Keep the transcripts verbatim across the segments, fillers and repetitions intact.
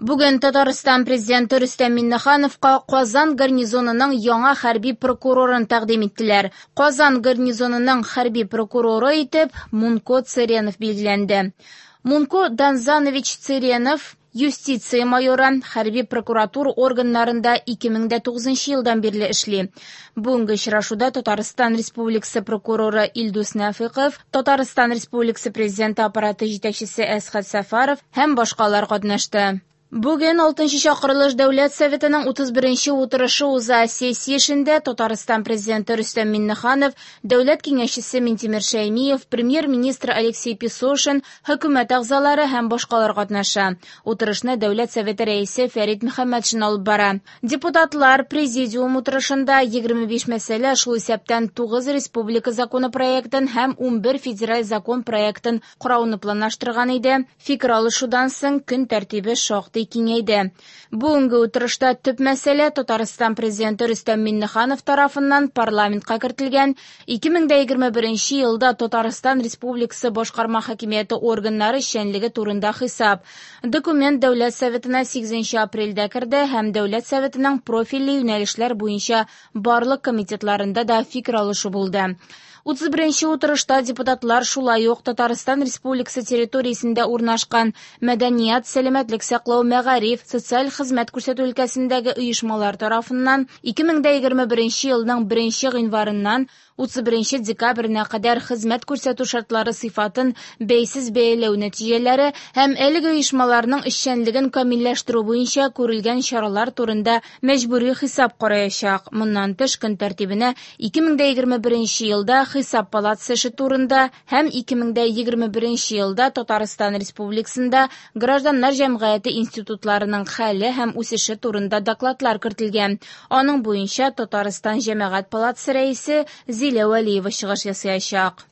Бүген Татарстан президенты Рөстәм Миңнехановка Казан гарнизонының яңа хәрби прокурорын тәкъдим иттеләр. Казан гарнизонының хәрби прокуроры итеп Мунко Цыренов билгеләнде. Мунко Данзанович Цыренов юстиция майоры, хәрби прокуратура органнарында ике мең дә тугызынчы елдан бирле эшли. Бүгенге очрашуда Татарстан Республикасы прокуроры Илдус Нәфыйков, Татарстан Республикасы президенты аппараты җитәкчесе Әсхәт Сәфәров һәм башкалар катнашты. Бүген алтынчы чакырылыш Дәүләт Советының утыз беренче утырышы уза. Сессия эшендә Татарстан президенты Рөстәм Миңнеханов, Дәүләт киңәшчесе Минтимер Шәймиев, премьер-министр Алексей Песошин, хөкүмәт әгъзалары һәм башкалар катнаша. Утырышны Дәүләт Советы рәисе Фәрит Мөхәммәтшин алып бара. Депутатлар президиум утырышында егерме биш мәсьәлә, шул исәптән тугыз республика законы проектын һәм унбер федераль закон проектын карауны планлаштырган иде. Фикер алышудан соң көн тәртибе шактый киңәйде. Бүгенге утырышта төп мәсьәлә Татарстан президенты Рөстәм Миңнеханов тарафыннан парламентка кертелгән ике мең дә егерме беренче елда Татарстан Республикасы башкарма хакимияте органнары эшчәнлеге турында хисап. Документ Дәүләт Советына сигезенче апрельдә керде һәм Дәүләт Советының профильле юнәлешләр буенча барлык комитетларында да фикер алышу булды. Утыз беренче утырышта депутатлар шулай ук Татарстан Республикасы территориясендә урнашкан мәдәният, сәламәтлек саклау, мәгариф, социаль хезмәт күрсәтү өлкәсендәге оешмалар тарафыннан ике мең дә егерме беренче елның беренче гыйнварыннан утыз беренче декабренә кадәр хезмәт күрсәтү шартлары сыйфатын бәйсез бәяләү нәтиҗәләре һәм әлеге оешмаларның эшчәнлеген камилләштерү буенча күрелгән чаралар турында мәҗбүри хисап караячак. Моннан тыш көн тәртибенә ике мең дә егерме беренче елда хисап палатасы эше турында һәм ике мең дә егерме беренче елда Татарстан Республикасында гражданнар җәмгыяте институтларының хәле һәм үсеше турында докладлар кертелгән. Аның буенча Татарстан Җәмәгать палатасы рәисе Зилә Вәлиева чыгыш ясаячак.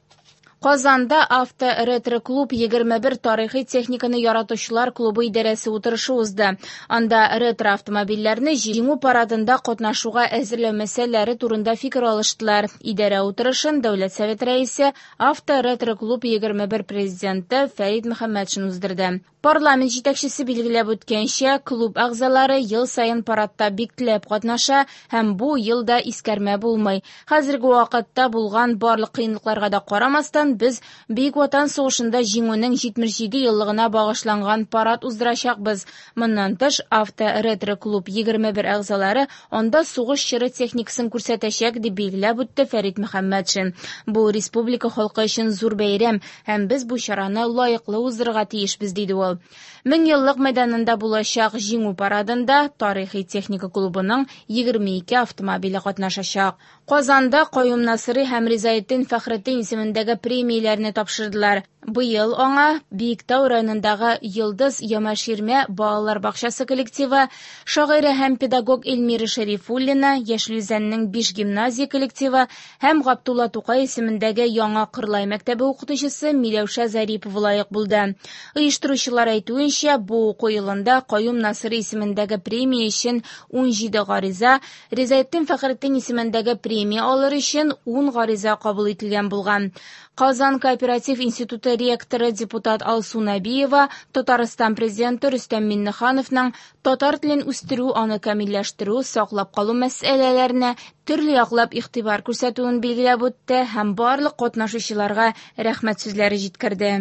Казанда авто-ретро-клуб егерме бер тарихи техниканы яратучылар клубы идарәсе утырышы узды. Анда ретро-автомобильләрне җиңү парадында катнашуга әзерләү мәсьәләләре турында фикер алыштылар. Идарә утырышын Дәүләт Советы рәисе, авто-ретро-клуб егерме бер президенты Фәрит Мөхәммәтшин уздырды. Парламент җитәкчесе билгеләп үткәнчә, клуб әгъзалары ел саен парадта бик теләп катнаша һәм бу елда искәрмә булмый. Хәзерге вакытта булган барлык кыенлыкларга да карамастан, без Бөек Ватан сугышында җиңүнең җитмеш җиде еллыгына багышланган парад уздырачакбыз. Моннан тыш, авто-ретро-клуб егерме бер әгъзалары анда сугыш чоры техникасын күрсәтәчәк, дип билгеләп үтте Фәрит Мөхәммәтшин. Бу республика халкы өчен зур бәйрәм һәм без бу чараны лаеклы уздырырга тиешбез, диде ул. Мең еллык мәйданында булачак җиңү парадында тарихи техника клубының егерме ике автомобиле катнашачак. Казанда Каюм Насыйри һәм Ризаэддин Фәхретдин исемендәге премияләрне тапшырдылар. Быел аңа Биектау районындагы Йолдыз Ямаширмә балалар бакчасы коллективы, шагыйрә һәм педагог Эльмира Шәрифуллина, Яшел Үзәннең биш гимназия коллективы һәм Габдулла Тукай исемендәге Яңа Кырлай мәктәбе укытучысы Миләүшә Зарипова лаек булды. Оештыручылар әйтүенчә, бу уку елында Каюм Насыйри исемендәге премия өчен ун җиде гариза, Ризаэддин Фәхретдин исемендәге премия алыр өчен ун гариза кабул ителгән булган. Казан кооператив институты ректоры депутат Алсу Нәбиева Татарстан президенты Рөстәм Миңнехановның татар телен үстерү, аны камилләштерү, саклап калу мәсьәләләренә төрле яклап игътибар күрсәтүен билгеләп үтте һәм барлык катнашучыларга рәхмәт сүзләре җиткерде.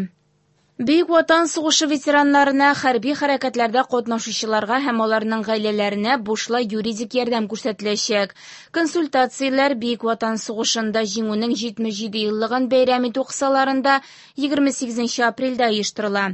Бөек Ватан сугышы ветераннарына, хәрби хәрәкәтләрдә катнашучыларга һәм аларның гаиләләренә бушлай юридик ярдәм күрсәтеләчәк. Консультацияләр Бөек Ватан сугышында җиңүнең җитмеш җиде еллыгын бәйрәм итү кысаларында егерме сигезенче апрельдә оештырыла.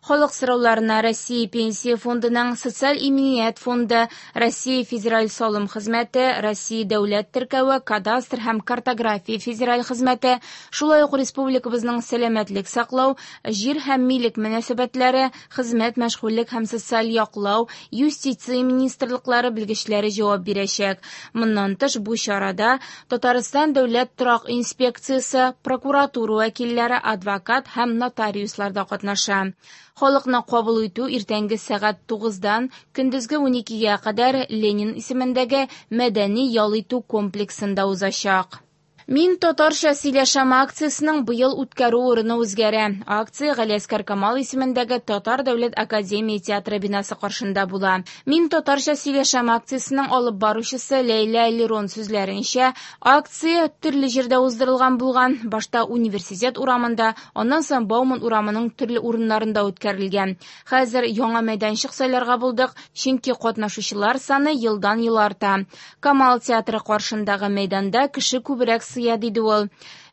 Халык сорауларына Россия Пенсия фондының Социаль иминият фонды, Россия Федераль салым хезмәте, Россия дәүләт теркәве, кадастр һәм картография федераль хезмәте, шулай ук республикабызның сәламәтлек саклау, җир һәм милек мөнәсәбәтләре, хезмәт, мәшгульлек һәм социаль яклау, юстиция министрлыклары белгечләре җавап бирәчәк. Моннан тыш, бу чарада Татарстан дәүләт торак инспекциясе, прокуратура вәкилләре, адвокат һәм нотариуслар да катнаша. Халыкны кабул итү иртәнге сәгать тугыздан көндезге уникегә кадәр Ленин исемендәге мәдәни ял итү комплексында узачак. Мин татарча сөйләшәм акциясенең быел үткәрү урыны үзгәрә. Акция Галиәсгар Камал исемендәге Татар дәүләт академия театры бинасы каршында була. Мин татарча сөйләшәм акциясенең алып баручысы Ләйлә Лерон сүзләренчә, акция төрле җирдә уздырылган булган. Башта Университет урамында, аннан соң Бауман урамының төрле урыннарында үткәрелгән. Хәзер яңа мәйданчык сайларга булдык, чөнки катнашучылар саны елдан-ел арта. Камал театры каршындагы мәйданда кеше күбрәк сыя, диде ул.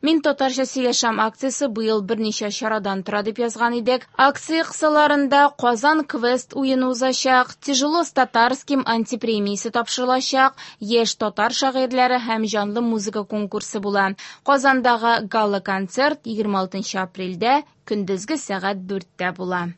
Мин татарча сөйләшәм акциясе быел берничә чарадан тора дип язган идек. Акция кысаларында Казан квест уены узачак, Тяжело с татарским антипремиясе тапшырылачак, яшь татар шагыйрьләре һәм җанлы музыка конкурсы була. Казандагы гала-концерт егерме алтынчы апрельдә көндезге сәгать дүрттә була.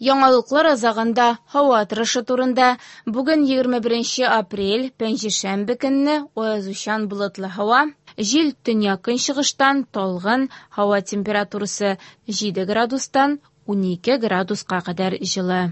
Яңалыклар азагында һава торышы турында. Бүген егерме беренче апрель, пәнҗешәмбе көнне аязучан болытлы һава. Җил төньяк-көнчыгыштан талгын, һава температурасы җиде градустан унике градуска кадәр җылы.